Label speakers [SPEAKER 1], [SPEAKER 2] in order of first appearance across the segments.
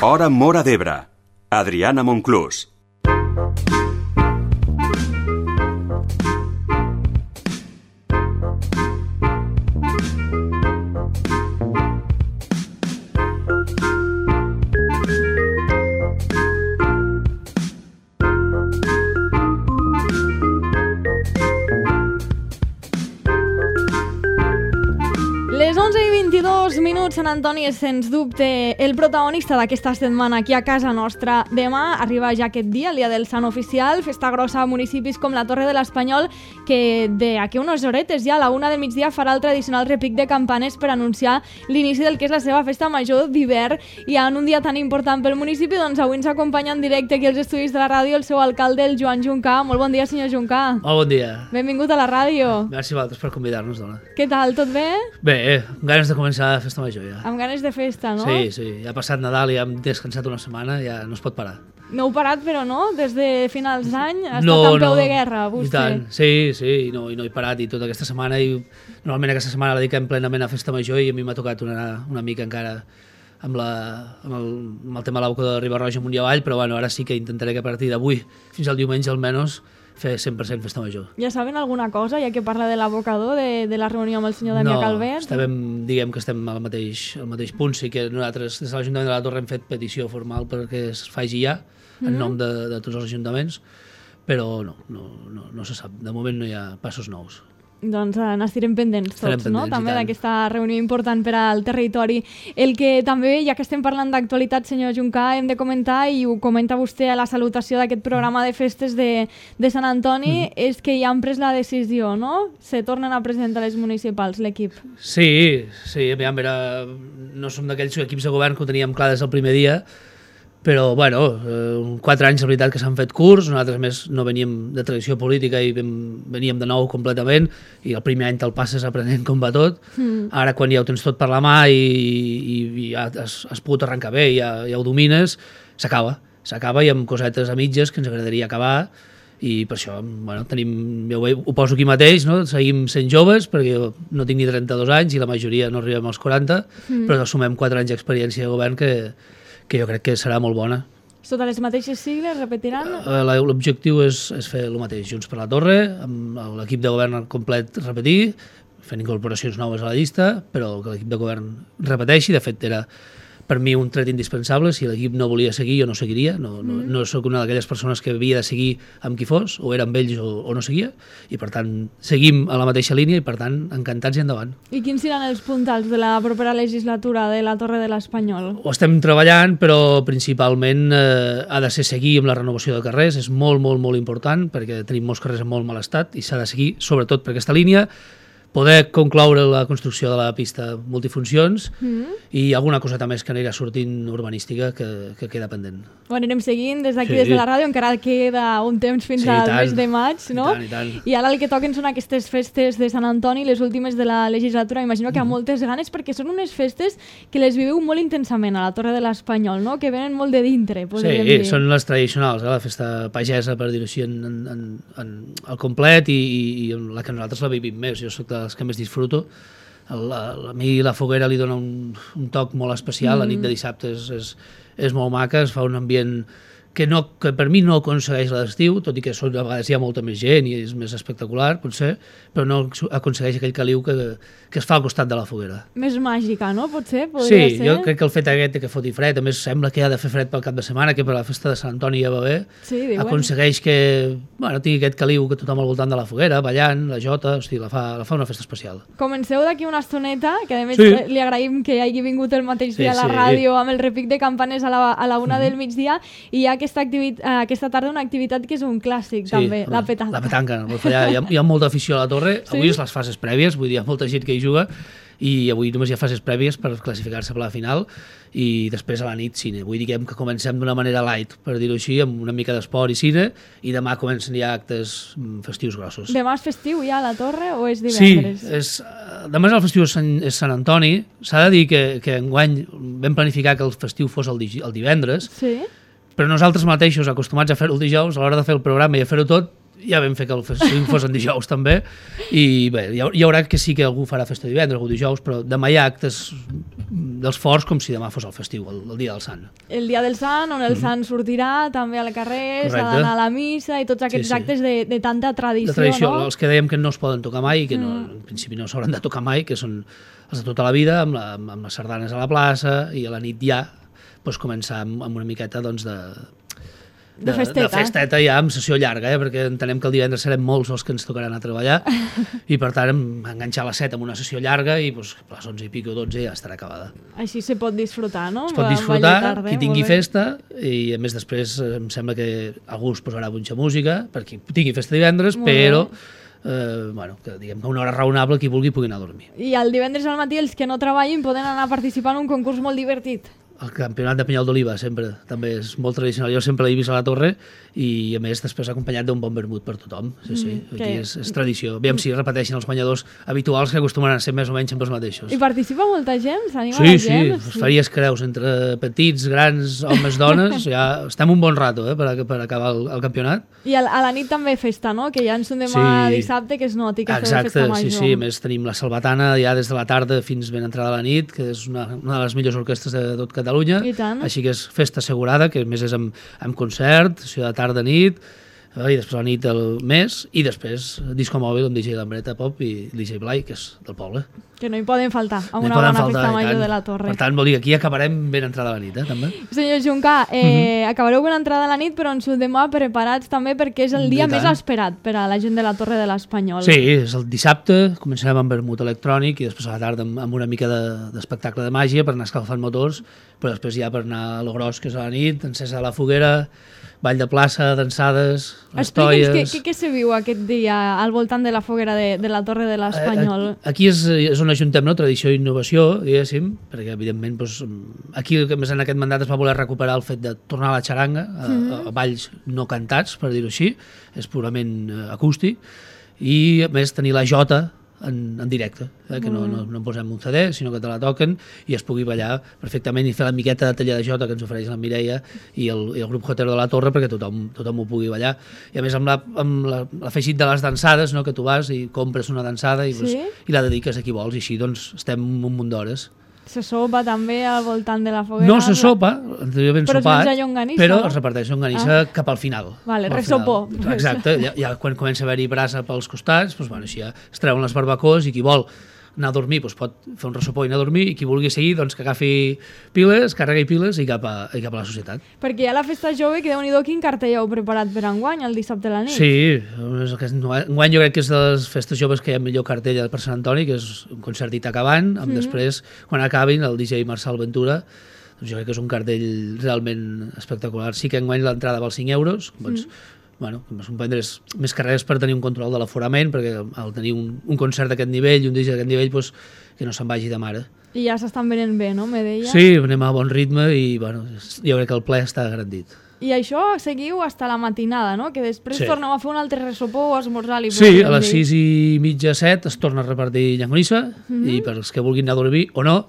[SPEAKER 1] Hora Móra d'Ebre. Adriana Monclús.
[SPEAKER 2] Les 11:22 minuts, Sant Antoni és sens dubte el protagonista d'aquesta setmana aquí a casa nostra. Demà arriba ja aquest dia, el dia del Sant Oficial, festa grossa a municipis com la Torre de l'Espanyol, que d'aquí unes horetes ja a la 1 del migdia farà el tradicional repic de campanes per anunciar l'inici del que és la seva festa major d'hivern. I en un dia tan important pel municipi, doncs avui ens acompanya en directe aquí als estudis de la ràdio el seu alcalde, el Joan Juncà. Molt bon dia, senyor Juncà.
[SPEAKER 3] Molt bon dia.
[SPEAKER 2] Benvingut a la ràdio.
[SPEAKER 3] Gràcies a vosaltres per convidar-nos, dona.
[SPEAKER 2] Què tal, tot bé?
[SPEAKER 3] Bé, amb ganes de començar la festa major ja.
[SPEAKER 2] Amb ganes de festa, no?
[SPEAKER 3] Sí, ja ha passat Nadal i ja hem descansat una setmana, ja no es pot parar.
[SPEAKER 2] No heu parat, però no? Des de finals d'any ha estat en peu de guerra, vostè.
[SPEAKER 3] I tant, sí, i no he parat, i tota aquesta setmana, i normalment aquesta setmana la dediquem plenament a festa major i a mi m'ha tocat una mica encara amb el tema de l'Auca de Riba-roja amunt i avall, però bueno, ara sí que intentaré que a partir d'avui fins al diumenge almenys fer 100% festa major.
[SPEAKER 2] Ja saben alguna cosa, ja que parla de l'abocador, de la reunió amb el senyor Damià Calvet?
[SPEAKER 3] No, diguem que estem al mateix punt. Sí que nosaltres des de l'Ajuntament de la Torre hem fet petició formal perquè es faci ja, en nom de tots els ajuntaments, però no se sap. De moment no hi ha passos nous.
[SPEAKER 2] Doncs n'estirem pendents tots, no? També d'aquesta reunió important per al territori. El que també, ja que estem parlant d'actualitat, senyor Juncà, hem de comentar, i ho comenta vostè a la salutació d'aquest programa de festes de Sant Antoni, és que ja han pres la decisió, no? Se tornen a presentar les municipals, l'equip.
[SPEAKER 3] Sí, aviam, no som d'aquells equips de govern que ho teníem clar des del primer dia, però, bueno, 4 anys, la veritat, que s'han fet curts. Nosaltres, més, no veníem de tradició política i veníem de nou completament, i el primer any te'l passes aprenent com va tot. Ara, quan ja ho tens tot per la mà i ja has pogut arrencar bé, ja ho domines, s'acaba i amb cosetes a mitges que ens agradaria acabar, i per això, bueno, ho poso aquí mateix, no? Seguim sent joves, perquè jo no tinc ni 32 anys i la majoria no arribem als 40, però sumem 4 anys d'experiència de govern que jo crec que serà molt bona.
[SPEAKER 2] Sota les mateixes sigles, repetiran?
[SPEAKER 3] L'objectiu és fer el mateix, Junts per la Torre, amb l'equip de govern al complet repetir, fent incorporacions noves a la llista, però que l'equip de govern repeteixi. De fet, era per mi un tret indispensable. Si l'equip no volia seguir, jo no seguiria. No sóc una d'aquelles persones que havia de seguir amb qui fos, o era amb ells o no seguia, i per tant seguim a la mateixa línia i per tant encantats i endavant.
[SPEAKER 2] I quins seran els puntals de la propera legislatura de la Torre de l'Espanyol?
[SPEAKER 3] Ho estem treballant, però principalment ha de ser seguir amb la renovació de carrers. És molt, molt, molt important, perquè tenim molts carrers en molt mal estat i s'ha de seguir sobretot per aquesta línia, poder concloure la construcció de la pista multifuncions i alguna coseta més que anirà sortint urbanística que queda pendent.
[SPEAKER 2] Ho anirem seguint des d'aquí, des de la ràdio, encara queda un temps fins al mes de maig, no?
[SPEAKER 3] I tant.
[SPEAKER 2] I ara el que toquen són aquestes festes de Sant Antoni, les últimes de la legislatura. Imagino que hi ha moltes ganes, perquè són unes festes que les viveu molt intensament a la Torre de l'Espanyol, no? Que venen molt de dintre, podríem dir.
[SPEAKER 3] Sí, són les tradicionals, la festa pagesa, per dir-ho així, al complet, i la que nosaltres la vivim més. Jo soc dels que més disfruto. A mi la foguera li dona un toc molt especial. La nit de dissabte és molt maca, es fa un ambient que per mi no aconsegueix l'estiu, tot i que a vegades hi ha molta més gent i és més espectacular, potser, però no aconsegueix aquell caliu que es fa al costat de la foguera.
[SPEAKER 2] Més màgica, no? Potser?
[SPEAKER 3] Sí, jo crec que el fet aquest que foti fred, a més sembla que ha de fer fred pel cap de setmana, que per la festa de Sant Antoni ja va bé, aconsegueix que tingui aquest caliu que tothom al voltant de la foguera, ballant, la jota, hosti, la fa una festa especial.
[SPEAKER 2] Comenceu d'aquí una estoneta, que a més li agraïm que hagi vingut el mateix dia a la ràdio amb el repic de campanes a la 1 del migdia, i hi ha aquesta tarda una activitat que és un clàssic, també, la petanca.
[SPEAKER 3] La petanca, no pot fallar. Hi ha molta afició a la Torre. Avui és les fases prèvies, vull dir, hi ha molta gent que hi juga, i avui només hi ha fases prèvies per classificar-se per la final, i després a la nit cine. Avui diguem que comencem d'una manera light, per dir-ho així, amb una mica d'esport i cine, i demà comencen ja actes festius grossos.
[SPEAKER 2] Demà és festiu ja a la Torre o és divendres?
[SPEAKER 3] Sí, demà el festiu és Sant Antoni. S'ha de dir que enguany vam planificar que el festiu fos el divendres, però nosaltres mateixos, acostumats a fer-ho el dijous, a l'hora de fer el programa i a fer-ho tot, ja vam fer que el festiu fos en dijous també, i bé, hi haurà que sí que algú farà festa divendres, algú dijous, però demà hi ha actes dels forts com si demà fos el festiu, el dia del Sant.
[SPEAKER 2] El dia del Sant, on el Sant sortirà també al carrer, s'ha d'anar a la missa i tots aquests actes de tanta tradició, no?
[SPEAKER 3] Els que dèiem que no es poden tocar mai, que en principi no s'hauran de tocar mai, que són els de tota la vida, amb les sardanes a la plaça, i a la nit ja començar amb una miqueta de festeta ja, amb sessió llarga, perquè entenem que el divendres serem molts els que ens tocaran a treballar i per tant enganxar a les 7 amb una sessió llarga i a les 11 i pico o 12 ja estarà acabada.
[SPEAKER 2] Així se pot disfrutar, no?
[SPEAKER 3] Es pot disfrutar, qui tingui festa, i a més després em sembla que algú es posarà mucha música per qui tingui festa divendres, però que diguem que una hora raonable qui vulgui pugui anar a dormir.
[SPEAKER 2] I el divendres al matí els que no treballin poden anar a participar en un concurs molt divertit.
[SPEAKER 3] El campionat de Penyal d'Oliva sempre, també és molt tradicional. Jo sempre l'he vist a la torre i a més després acompanyat d'un bon vermut per tothom. Sí. Aquí és tradició. Aviam si repeteixen els guanyadors habituals que acostumen a ser més o menys sempre els mateixos.
[SPEAKER 2] I participa molta gent? S'anima la gent?
[SPEAKER 3] Sí, faries creus entre petits, grans, homes, dones. Ja estem un bon rato per acabar el campionat.
[SPEAKER 2] I a la nit també festa, no? Que ja ens demà dissabte que es noti que feu festa major.
[SPEAKER 3] Sí. A més tenim la Salvatana ja des de la tarda fins ben entrada a la nit, que és una de les millors orquestres de tot Catalunya, així que és festa assegurada, que a més és amb concert, de tarda a nit, i després a la nit el mes, i després disco mòbil amb DJ Lambreta Pop i DJ Blai, que és del poble.
[SPEAKER 2] Que no hi poden faltar amb una bona festa major de la Torre.
[SPEAKER 3] Per tant, vol dir que aquí acabarem ben entrada a la nit, també.
[SPEAKER 2] Senyor Juncà, acabareu ben entrada a la nit, però ens ho demà preparats també perquè és el dia més esperat per a la gent de la Torre de l'Espanyol.
[SPEAKER 3] Sí, és el dissabte, començarem amb vermut electrònic i després a la tarda amb una mica d'espectacle de màgia per anar escalfant motors, però després ja per anar a lo gros, que és a la nit, encesa de la foguera, ball de plaça, dansades, les toies...
[SPEAKER 2] Explica'ns què se viu aquest dia al voltant de la foguera de la Torre de l'Espanyol.
[SPEAKER 3] Aquí és on ajuntem tradició i innovació, diguéssim, perquè evidentment aquí en aquest mandat es va voler recuperar el fet de tornar a la xaranga, a balls no cantats, per dir-ho així, és purament acústic, i a més tenir la jota en directe, que no en posem un CD, sinó que te la toquen i es pugui ballar perfectament i fer la miqueta de taller de jota que ens ofereix la Mireia i el grup Jotero de la Torre perquè tothom ho pugui ballar. I a més amb l'afegit de les dansades, que tu vas i compres una dansada i la dediques a qui vols, i així estem un munt d'hores.
[SPEAKER 2] Se sopa també al voltant de la foguera?
[SPEAKER 3] No se sopa, anteriorment
[SPEAKER 2] sopat,
[SPEAKER 3] sopat,
[SPEAKER 2] llonganissa,
[SPEAKER 3] però es reparteix llonganissa cap al final.
[SPEAKER 2] Vale, ressopó.
[SPEAKER 3] Exacte, ja quan comença a haver-hi brasa pels costats, així ja es treuen les barbacoes i qui vol anar a dormir pot fer un ressopó i anar a dormir, i qui vulgui seguir que agafi piles, carregui piles i cap a la societat.
[SPEAKER 2] Perquè hi ha la festa jove, que déu-n'hi-do quin cartell heu preparat per enguany, el dissabte a la nit.
[SPEAKER 3] Sí, enguany jo crec que és de les festes joves que hi ha millor cartell per Sant Antoni, que és un concertit acabant, amb després, quan acabin, el DJ Marçal Ventura, jo crec que és un cartell realment espectacular. Sí que enguany l'entrada val 5 euros, són prendre's més carreres per tenir un control de l'aforament, perquè al tenir un concert d'aquest nivell i un disc d'aquest nivell, que no se'n vagi de mare.
[SPEAKER 2] I ja s'estan venent bé, no? Me deia.
[SPEAKER 3] Sí, anem a bon ritme i jo crec que el ple està garantit.
[SPEAKER 2] I això seguiu fins a la matinada, no? Que després torneu a fer un altre ressopó o esmorzar.
[SPEAKER 3] Sí, a les 6:30, 7 es torna a repartir llangonissa i per als que vulguin anar a dormir o no,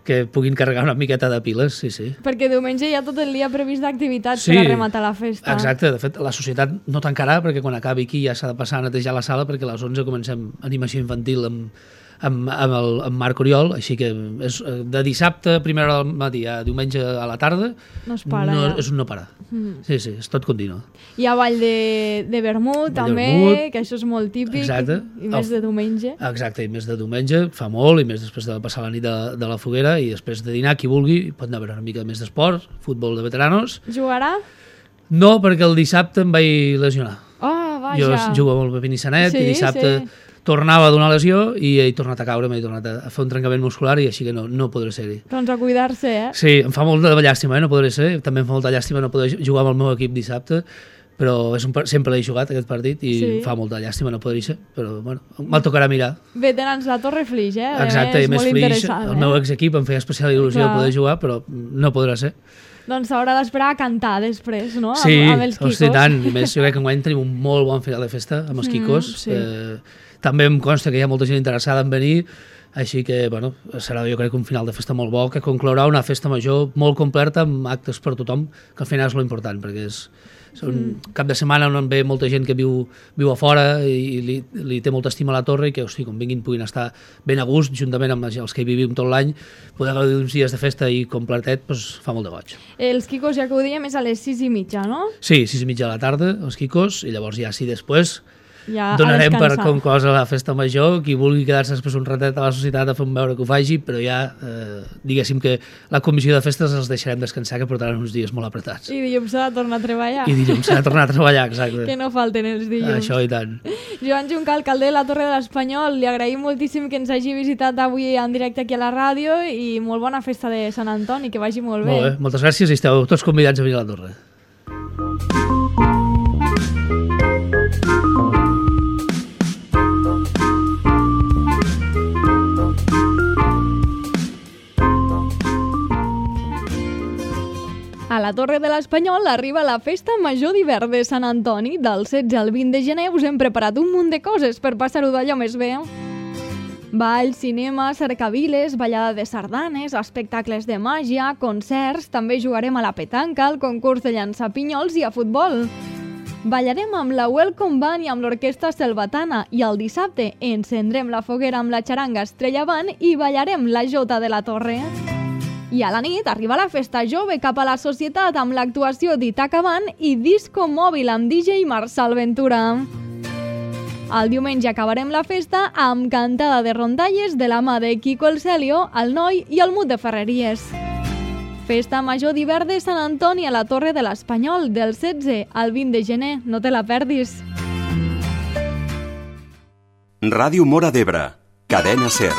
[SPEAKER 3] que puguin carregar una miqueta de piles, sí.
[SPEAKER 2] Perquè diumenge hi ha tot el dia previst d'activitats per a rematar la festa.
[SPEAKER 3] Exacte, de fet la societat no tancarà perquè quan acabi aquí ja s'ha de passar a netejar la sala perquè a les 11 comencem animació infantil amb Marc Oriol, així que és de dissabte a primera hora del matí a diumenge a la tarda,
[SPEAKER 2] no es para.
[SPEAKER 3] És un no parar. Sí, és tot continu.
[SPEAKER 2] Hi ha ball de vermut també, que això és molt típic.
[SPEAKER 3] Exacte.
[SPEAKER 2] I més de diumenge.
[SPEAKER 3] Exacte, i més de diumenge, fa molt, i més després de passar la nit de la foguera, i després de dinar, qui vulgui, pot anar a veure una mica més d'esport, futbol de veteranos.
[SPEAKER 2] Jugarà?
[SPEAKER 3] No, perquè el dissabte em vaig lesionar.
[SPEAKER 2] Oh, vaja.
[SPEAKER 3] Jo jugo amb el Pepinissanet i dissabte tornava a donar lesió i he tornat a caure, m'he tornat a fer un trencament muscular i així que no podré ser-hi.
[SPEAKER 2] Doncs a cuidar-se,
[SPEAKER 3] Sí, em fa molta llàstima, no podré ser. També em fa molta llàstima no poder jugar amb el meu equip dissabte, però sempre l'he jugat aquest partit i em fa molta llàstima no poder ser, però me'l tocarà mirar.
[SPEAKER 2] Veterans la Torre Flix,
[SPEAKER 3] Exacte, i més Flix, el meu exequip em feia especial il·lusió poder jugar, però no podrà ser.
[SPEAKER 2] Doncs s'haurà d'esperar a cantar després, no?
[SPEAKER 3] Sí,
[SPEAKER 2] amb els quicos.
[SPEAKER 3] Hosti, tant. I més, jo crec que enguany tenim un molt bon final de festa amb els quicos. també em consta que hi ha molta gent interessada en venir, així que, bueno, serà jo crec un final de festa molt bo, que conclourà una festa major molt completa amb actes per tothom, que al final és lo important, perquè és un cap de setmana on ve molta gent que viu a fora i li té molta estima a la torre i que, hosti, quan vinguin puguin estar ben a gust, juntament amb els que hi vivim tot l'any, poder gaudir uns dies de festa i completet, doncs fa molt de goig.
[SPEAKER 2] Els quicos, ja que ho diem, és a les 6:30, no?
[SPEAKER 3] Sí, 6:30 de la tarda, els quicos, i llavors ja, sí, després
[SPEAKER 2] ja
[SPEAKER 3] donarem per conclosa la festa major. Qui vulgui quedar-se després un ratet a la societat a fer un veure que ho faci, però ja diguéssim que la comissió de festes els deixarem descansar, que portaran uns dies molt apretats.
[SPEAKER 2] I dilluns s'ha de tornar a treballar.
[SPEAKER 3] I dilluns s'ha de tornar a treballar, exacte.
[SPEAKER 2] Que no falten els dilluns.
[SPEAKER 3] Això i tant.
[SPEAKER 2] Joan Juncal, alcalde de la Torre de l'Espanyol, li agraïm moltíssim que ens hagi visitat avui en directe aquí a la ràdio i molt bona festa de Sant Antoni, que vagi molt bé.
[SPEAKER 3] Molt bé, moltes gràcies i esteu tots convidats a venir a la Torre.
[SPEAKER 2] A la Torre de l'Espanyol arriba la Festa Major d'Hivern de Sant Antoni. Del 16 al 20 de gener us hem preparat un munt de coses per passar-ho d'allò més bé. Ball, cinema, cercaviles, ballada de sardanes, espectacles de màgia, concerts, també jugarem a la petanca, al concurs de llançar pinyols i a futbol. Ballarem amb la Welcome Band i amb l'Orquestra Selvatana i el dissabte encendrem la foguera amb la xaranga Estrella Band i ballarem la Jota de la Torre. I a la nit arriba la festa jove cap a la societat amb l'actuació d'Itaca Band i disco mòbil amb DJ Marçal Ventura. El diumenge acabarem la festa amb cantada de rondalles de la mà de Quico el Celio, el Noi i el Mut de Ferreries. Festa Major d'Hivern de Sant Antoni a la Torre de l'Espanyol, del 16 al 20 de gener. No te la perdis.
[SPEAKER 1] Ràdio Móra d'Ebre, Cadena SER.